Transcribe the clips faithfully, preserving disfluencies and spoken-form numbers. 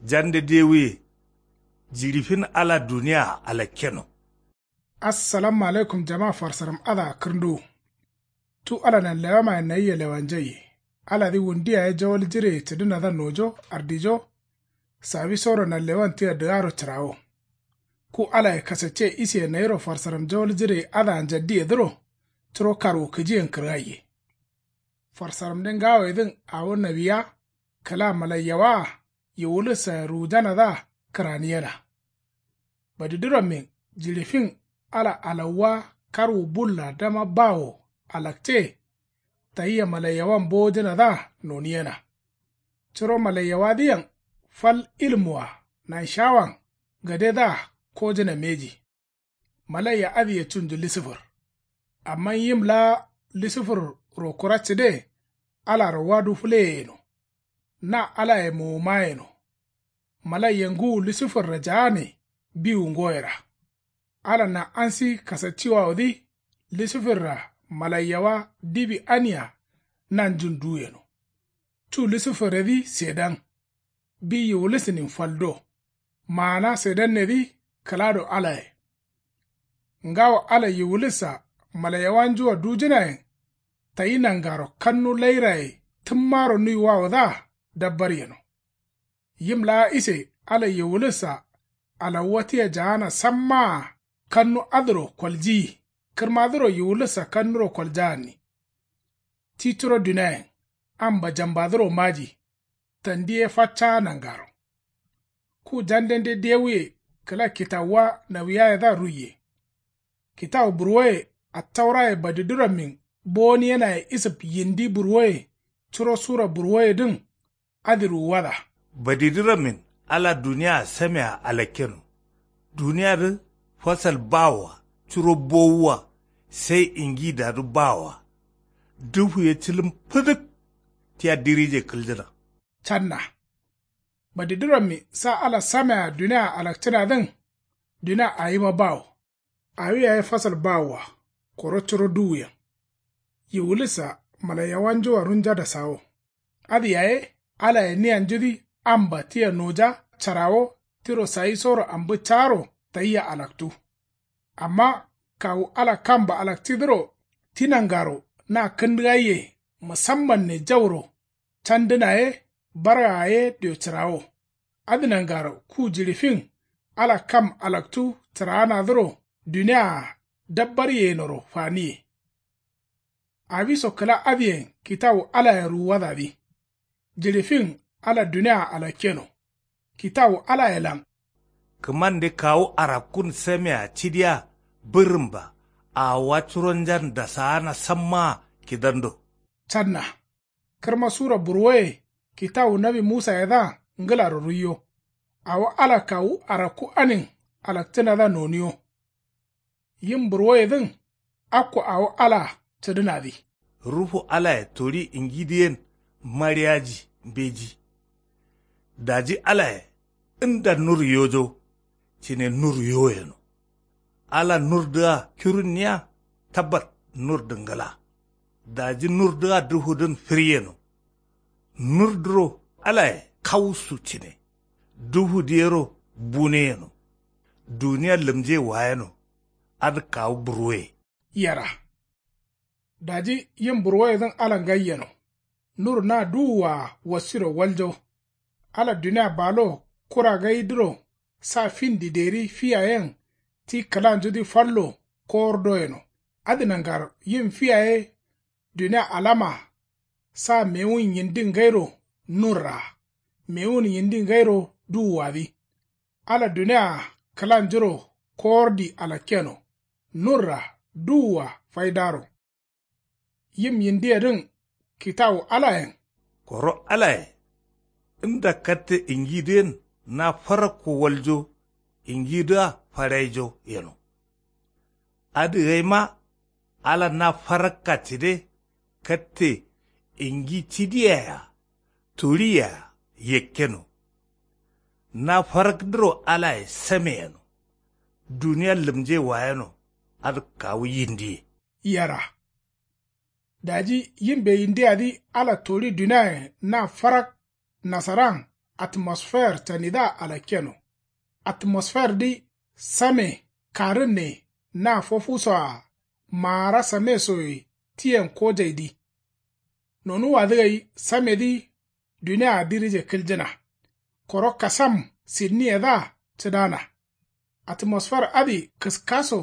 Jande dewuye. Jiɍi fin ala duniyaa alakkeno. Assalamu alaikum jama farsaram adǝa kǝrnduwu. Cu ala nanlewamayen nayia lewanjaiye. Aladǝ wundu yaye jawal jireye cǝdǝnadǝa nojo ardijo. Sawisoro nanlewan tia dǝgaro cǝrawo. Ku alaye kasacce isiye nayiro farsaram jawal jireye adǝa njaddiyedǝro. Curo karwu kǝjiyen kǝrgaiye. Farsaramde ngawoyedǝn awo nawiya kǝla malaiyawaa yiwulissaye ruwujanadǝa kǝraniyena. Badidǝrammin jiɍi fin ala alawwa karwu bulla dama bawo alakce. Tayia malaiyawan bowojǝnadǝa noniyena. Curo malaiyawadǝyen fal ilmuwa nanshawan gadedǝa kojǝna mbeji. Malaiya adǝye cunju lisǝfur. Amma yim laa lisǝfurro kura cǝde alaro wadu fǝleye yeno. Na alaye mowoma yeno. Malaiya ngǝwu lisǝfurra jaane biwu ngoyera. Ala nan'ansi kasacciwawodǝ lisǝfurra malaiyawa dibi ania nanjun duweno. Cu lisǝfurredǝ sedan. Bi yiwulisǝnin fal do. Maana sedannedǝ kǝlado alaye. Ngawo ala yiwulissa malaiyawanjua dujǝnayen. Tayi nangaro kannu lairaye tǝmmaro nuiwawodǝa dabbar yeno. Yim laa ise ala yiwulissa alawwa tia jaana sammaa kannu adǝro koljiyi kǝrmadǝro yiwulissa kannuro koljaanni. Ti curo duniayen amba jambadǝro maji. Tandi ye faccaa nangaro. Ku jandende dewuye kǝla kitawuwa nawiyayedǝa ruiye. Kitawu burwoye attauraye badidǝrammin bowoniyenaye isǝf yindi burwoye curo sura burwoyedǝn. Adǝ ruwuwada. Badidǝrammin ala duniyaa samea alakkeno. Duniyadǝ fasal bawoa curo bowuwa sai ingidadǝ bawoa. Dǝfuye cǝlǝm fǝdǝk tia dirije kǝljǝna. Canna. Badidǝrammi sa ala samea duniyaa alakcǝnadǝn. Dunia awima bawo. Awi yaye fasal bawoa koro curo duwuyen. Yiwulissa malaiyawanjua runja dasawo. Adǝ yaye alaye niyanjudǝ amba tia noja carawo tiro sayisoro ambǝ caaro tayia alaktu. Amma kawu ala kamba alakcǝdǝro ti nangaro na kǝndǝgaiye musammanne jauro candǝna ye bargaa ye dio cǝrawo. Adǝ nangaro ku jiɍi fin ala kam alaktu cǝraanadǝro duniyaa dabbar yenoro faniye. Awiso kǝla adǝyen kitawu alaye ruwuwadadǝ. Jiɍi fin ala duniyaa alakkeno. Kitawu alayelan. Kǝmande kawu arakkun samea cidiya bǝrǝmba awowa curonjan dasaana sammaa kidando. Canna. Kǝrma sura burwoye kitawu nawi musayedǝa ngǝlaro ruiyo. Awo ala kawu arakku anin alakcǝnadǝa noniyo. Yim burwoyedǝn akko awo alaa cǝdǝnadǝ. Ruhu alaye toɍi ingidǝyen mariyaji mbeji. Daji alaye nda nur yojo cǝne nur yo yeno. Ala nurdǝa kirunniya tabbat nurdǝ ngǝla. Daji nurdǝa duhudǝn fǝryeno. Nurdǝro alaye kawusu cǝne. Duhudǝ yero bune yeno. Duniya lǝmje wayeno. Adǝ kawu burwoye. Yera. Daji yim burwoyedǝn ala ngai yeno. Nur na duwuwaa wasiro waljo. Ala dunia balo kura gaidǝro sa fin dideri fiyayen ti kǝlanjudǝ fallo kowor doyeno. Adǝ nangaro yim fiyaye dunia alama sa mewun yindi ngairo nurraa mewun yindi ngairo duwuwadǝ. Ala duniyaa kǝlanjuro kowordi alakkeno. Nurra duwua faidaro. Yim yindiyedǝn kitawu alayen. Koro alaye nda katte ingidǝyen na farakko waljo ingidǝa faraijo yeno. Adǝ gaima ala na farakka cǝde katte ingi cidiyayea toɍiyea yakkeno. Na farakdǝro alaye sameyeno. Duniya lǝmje wayeno. Adǝ kawu yindiye. Yera. Daji yimbe yindiyadǝ ala toɍi duniayen na farak nasaran Atmosfer canidǝa alakkeno. Atmosferdǝ same karǝnne na fofusoa maara samesoye tiyen kojaidǝ. Nonuwadǝ gai samedǝ duniaa dirije kǝljǝna. Koro kasam sidniyedǝa cǝdana. Atmosfer adǝ kǝskaso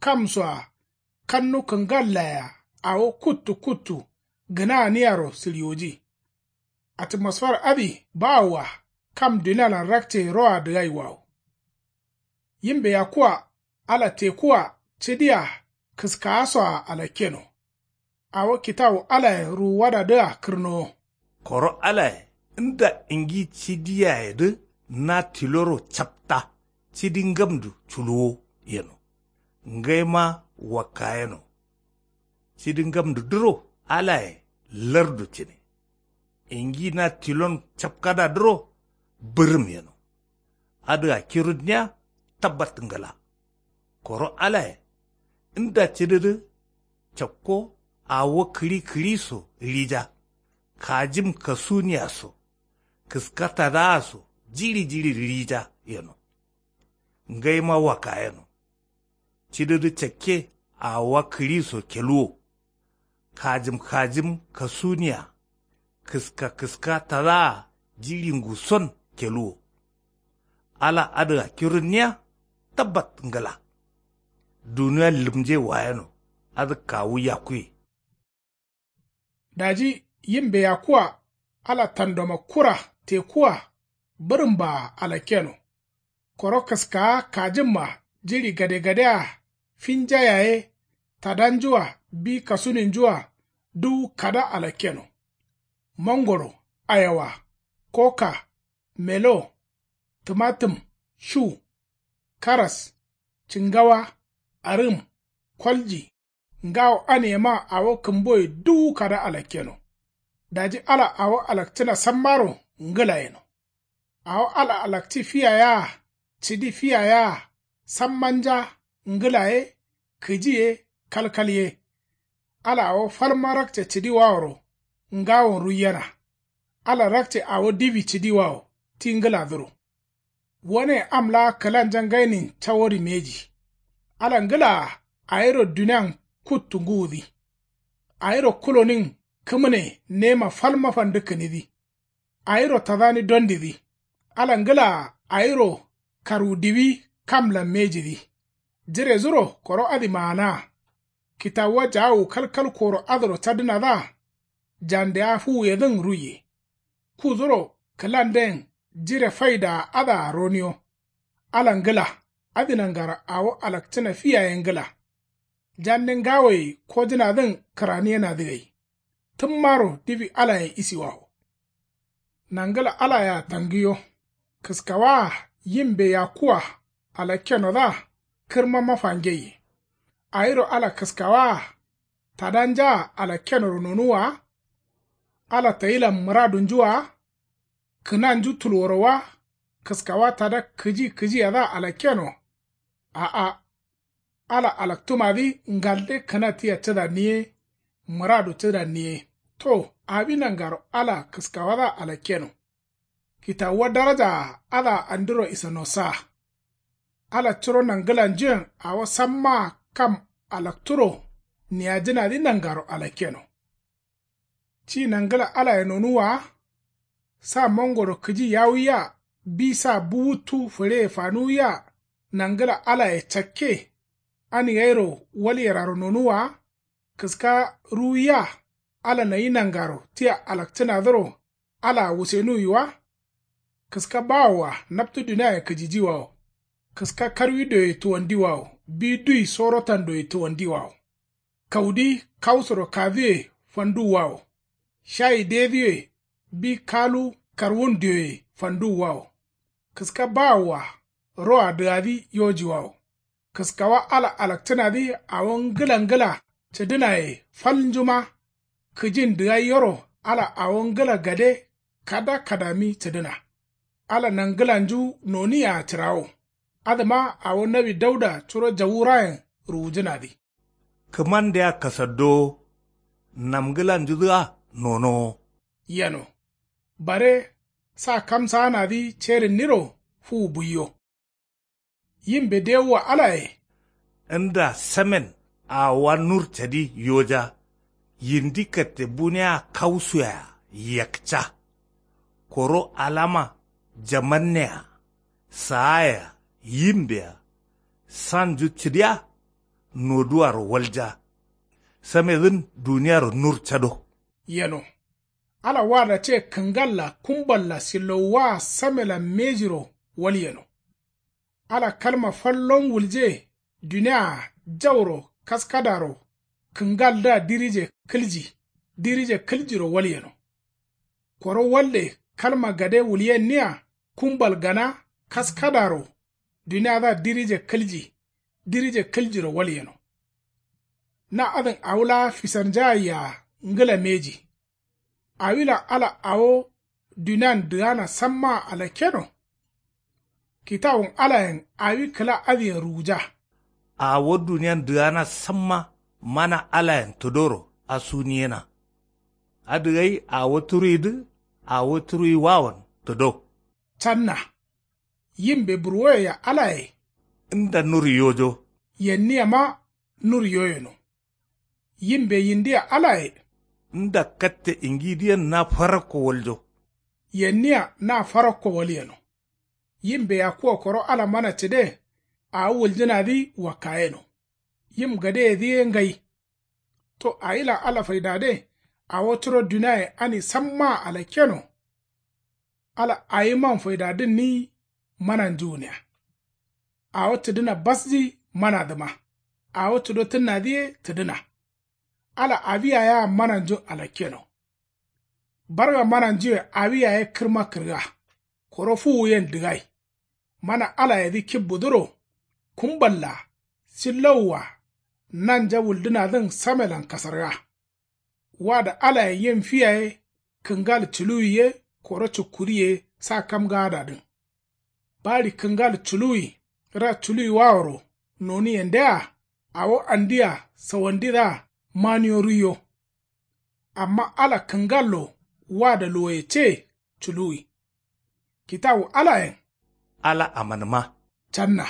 kamsoa kannu kǝngallaye-a awo kuttu kuttu gǝnaaniyaro sǝɍiwoji. Atmosfer adǝ bawoa kam dunialan rakce roa dǝgaiwawo. Yimbe yakkua ala tekua cǝdia kǝskaasoa alakkeno. Awo kitawu alayen ruwuwadadǝa kǝrnowo. Koro alaye nda ingi cǝdiyayedǝ na tiloro capta cǝdi ngamdu culuwo yeno. Ngaima wakkayeno. Cidi ngamdudǝro alaye lardu cǝne. Ingi na tilon capkadadǝro bǝrǝm yeno. Adǝa kirunniya tabbat ngla. Koro alaye nda cididǝ cakko awo kǝɍi kǝɍiso rija. Kajim kasuniya so kǝska tadaa so jiɍi jiɍi rija yeno. Ngaima wakkayeno. Cidǝdǝ cakke awowa kǝɍiso keluwo. Kajǝm kajǝm kasuniya kǝska kǝska tadaa jiɍi nguson keluwo. Ala adǝa kirunniya tabbat ngla. Duniya lǝmje wayeno adǝ kawu yakkuye. Daji yimbe yakkua ala tandoma kura tekua bǝrǝmbaa alakkeno. Koro kǝskaa kajǝmma jiɍi gadegadea finja yaye tadanjua bi kasuninjua duwu kada alakkeno. Mongoro, ayawa, koka, melo, tǝmatǝm, shu, karas, cǝngawa, arǝm, kolji, ngawo aniyema awo kǝmboye duwu kada alakkeno. Daji ala awo alakcǝna sammaro ngǝla yeno. Awo ala alakci fiya yea cǝdi fiya yea sammanja ngǝla ye kǝji ye kalkal ye. Ala awo falma rakce cǝdiwaworo ngawon ruiyena. Ala rakce awo diwi cǝdiwawo ti ngǝladǝro. Wane am laa kǝlanja ngainin cawo rimeji. Ala ngǝlaa awiro dunian kuttu ngǝwudǝ. Awiro kulonin kǝmǝne nema falma fandǝkkǝnidǝ. Awiro tadani dondidǝ. Ala ngǝlaa awiro karwudiwi kamlan mejidǝ. Jiredǝro koro adǝ maanaa. Kitawuwa jaawu kalkal koro adǝro cadǝnadǝa jande awo fuwuyedǝn ruiye. Kuduro kǝlanden jire faidaa adǝa roniyo. Ala ngǝla adǝ nangaro awo alakcǝna fi yaye ngǝla. Jande ngawoye kojǝnadǝn kǝraniyenadǝ gai. Tǝmmaro diwi alayen isiwawo. Nangǝla alayea tangiyo. Kǝskawaa yimbe yakkua alakkenodǝa kǝrma mafangeiye. Awiro ala kǝskawaa tadanjaa alakkenoro nonuwwa wa? Ala tayilan mǝradunju wa? Kǝnanju tulworo wa? Kǝskawa tada kǝji kǝjiyadǝa alakkeno? A'a. Ala alaktǝmadǝ ngalde kǝna tia cǝdanni ye mǝradu cǝdanni ye. To awi nangaro ala kǝskawadǝa alakkeno. Kitawuwa darajaa adǝa andiro isanosa. Ala curo nangǝlanjuyen awo sammaa kam alakturo niyajǝnadǝ nangaro alakkeno. Ci nangǝla alaye nonuwwa wa? Sa mongoro kǝji yawuwiya bi sa buwuttu fǝɍeye fanuwwiya nangǝla alaye cakke ani gairo walyeraro nonuwwa wa? Kǝska ruwuwiya ala nayi nangaro tia alakcǝnadǝro alaa wusenuwwi wa? Kǝska bawoa naptu duniaye kǝjijiwawo. Kǝska karwi dioye tuwandiwawo bi dui sorotan dioye tuwandiwawo. Kaudi kausoro kaduwe fanduwwawo. Shayi dedǝye bi kalu karwun dioye fanduwwawo. Kǝska bawoa roa dǝgadǝ yojiwawo. Kǝskawa ala alakcǝnadǝ awo ngǝla ngǝla cǝdǝnaye falnjuma. Kǝjin dǝgai yero ala awo ngǝla gade kada kadami cǝdǝna. Ala nangǝlanju noniyea cǝrawo. Adǝma awo nawi dauda curo jawurayen ruwujǝnadǝ. Kǝmandea kasaddowo. Namgǝlanjudǝa nonowo. Yeno. Bare Sa kamsaanadǝ cerinniro fuwu buiyo. Yimbe dewuwa alaye. Nda samen awowa nur cadi yoja. Yindi katte bunea kausuya yakca. Koro alama jamannea saaya yimbea sanju cidiya. Noduwaro walja. Samedǝn duniyaro nur cado. Yeno. Ala wada ce kǝngalla kumballa sillowuwa samelan mejiro walyeno. Ala kalma fallon wulje dunia jauro kaskadaro kǝngaldǝa dirije kǝlji. Dirije kǝljiro walyeno. Koro walde kalma gade wulyenniya kumbal gana kaskadaro duniadǝa dirije kǝlji. Dirije kǝljiro walyeno. Na adǝn awo laa fisarnjaye-a ngǝla mbeji. Awilan ala awo dunian dǝgana sammaa alakkeno. Kitawun alayen awi kǝla adǝyen ruwuja. Awo dunian dǝgana samma mana alayen tǝdoro asuniyena. Adǝ gai awo turuidǝ awo turuiwawoyen tǝdo. Canna. Yimbe burwoyea alaye. Nda nur yojo. Yenniyama nur yoyeno. Yimbe yindia alaye. Nda katte ingidǝyen na farakko waljo. Yenniya na farakko walyeno. Yimbe yakkuwa koro ala mana cǝde awo wuljǝnadǝ wakkayeno. Yim gadeyedǝ ye ngai. To awilan ala faidade awo curo duniaye ani sammaa alakkeno. Ala awiman faidadǝnni mananju gǝnia. Awo tǝdǝna basji manadǝma. Awo tǝdo tǝnnadǝ ye tǝdǝna. Ala awi yayea mananjun alakkeno. Barga mananjuwe awi yaye kǝrma kǝrga. Koro fuwuyen dǝgai. Mana alayedǝ kibbudǝro kumballa sillowua nanja wuldǝnadǝn samelan kasarga. Wada alayen yim fiyaye kǝngal culuwi ye koro cukkuri ye sa kamgaadadǝn. Baɍi kǝngal culuwi ra culuwiwaworo noniyendea awo andia sawandidǝa maniyo ruiyo. Amma ala kǝngallo wada luwoye ce culuwi. Kitawu alayen. Ala amanǝma. Canna.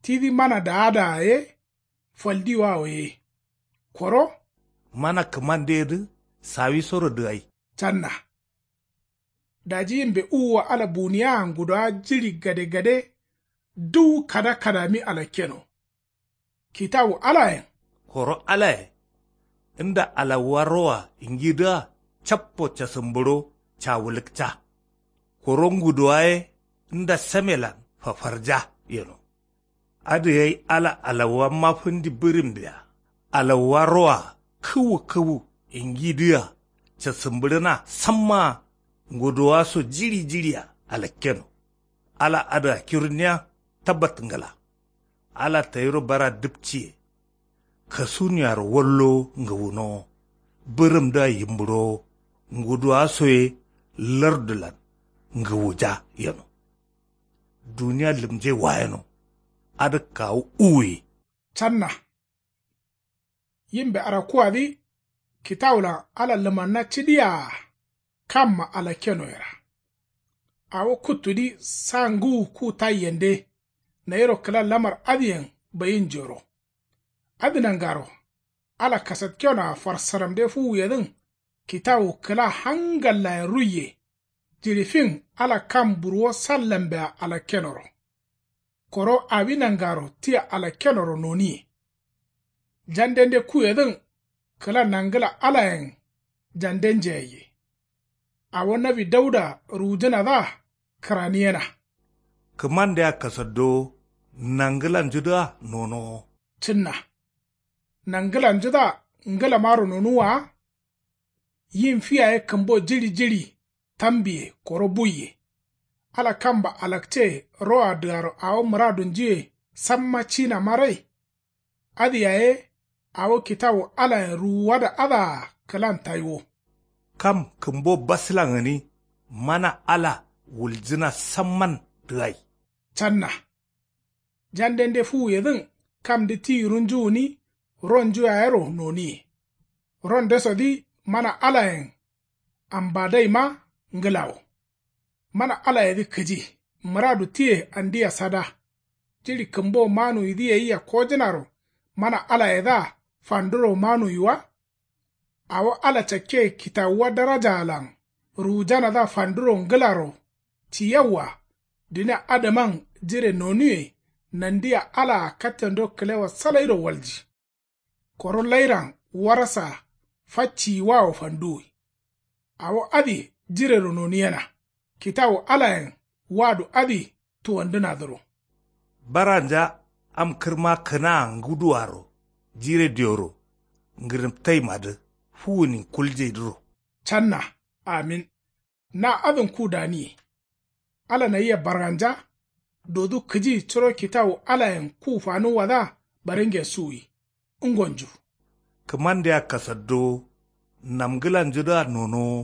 Tidǝ mana daadaa ye faldiwawo ye. Koro. Mana kǝmandeyedǝ sawisoro dǝgai. Canna. Daji yimbe uwuwa ala buniyea ngudowa jiɍi gadegade duwu kada kadami alakkeno. Kitawu alayen. Koro alaye. Nda alawuwa roa ingidǝa cappo casǝmbǝɍo cawulǝkca. Koro ngudowa ye nda samelan fafarja yeno. Adǝ gai ala alawuwa mafǝndi bǝrǝmbea alawuwa roa kǝwu kǝwu ingidǝa casǝmbǝɍǝna sammaa ngudowaso jiɍi jiɍia alakkeno. Ala adǝa kirunniya tabbat ngla. Ala tayiro bara dǝpciye. Kasuniyaro wallowo ngǝwunowo. Bǝrǝmdǝa yimbǝɍowo. Nguduwaso ye lardulan ngǝwuja yeno. Duniya lǝmje wayeno. Adǝ kawu uwuye. Canna. Yimbe arakkuwadǝ kitawulan ala lǝmanna cidiyaa kamma alakkenoyera. Awo kuttudǝ sa ngǝwu ku taiyende nayiro kǝla lamar adǝyen bayinjoro. Adǝ nangaro ala kasatkenoa farsaramde fuwuyedǝn kitawu kǝla hangallayen ruiye. Jiɍi fin ala kam burwo sallambea alakkenoro. Koro awi nangaro tia alakkenoro noniye. Jandende kuyedǝn kǝla nangǝla alayen jande njeyaiye. Awo nawi dauda ruwujǝnadǝa kǝraniyena. Kǝmandea kasaddowo nangǝlanjudǝa nonowo. Cǝnna. Nangǝlanjudǝa ngǝlamaro nonuwwa wa. Yim fi yaye kǝmbo jiɍi jiɍi tambiye koro buiye. Ala kamba alakce roa dǝgaro awo mǝradunjuye samma cinamarai. Adǝ yaye awo kitawu alayen ruwuwada adǝa kǝlan taiwo. Kam kǝmbo baslan gǝni mana ala wuljǝna samman dǝgai. Canna. Jandende fuwuyedǝn kamdǝ ti runju gǝni ronju yayero noniye. Rondesodǝ mana alayen ambadaima ngǝlawo. Mana alayedǝ kǝji mǝradu tiye andia sada. Jiɍi kǝmbo manuwidǝ yayia kojǝnaro mana alayedǝa fanduro manuwi wa? Awo ala cakke kitawuwa darajaalan ruwujanadǝa fanduro ngǝlaro ci yawwa. Duniya adǝman jire nonuwe nandia alaa kattendo kǝlewa salairo walji. Koro lairan warasa facciyiwawo fanduwi. Awo adǝ jirero noniyena kitawu alayen wado adǝ tuwandǝnadǝro. Baranja am kǝrma kǝnaa nguduwaro jire dioro ngǝrǝmtaimadǝ fuwunin kuljai dǝro. Canna. Amin. Na adǝn ku daniye. Ala nayia baranja dodu kǝji curo kitawu alayen ku fanuwwadǝa baringen suwi. Ngonju. Kǝmandea kasaddowo namngǝlanjudǝa nonowo.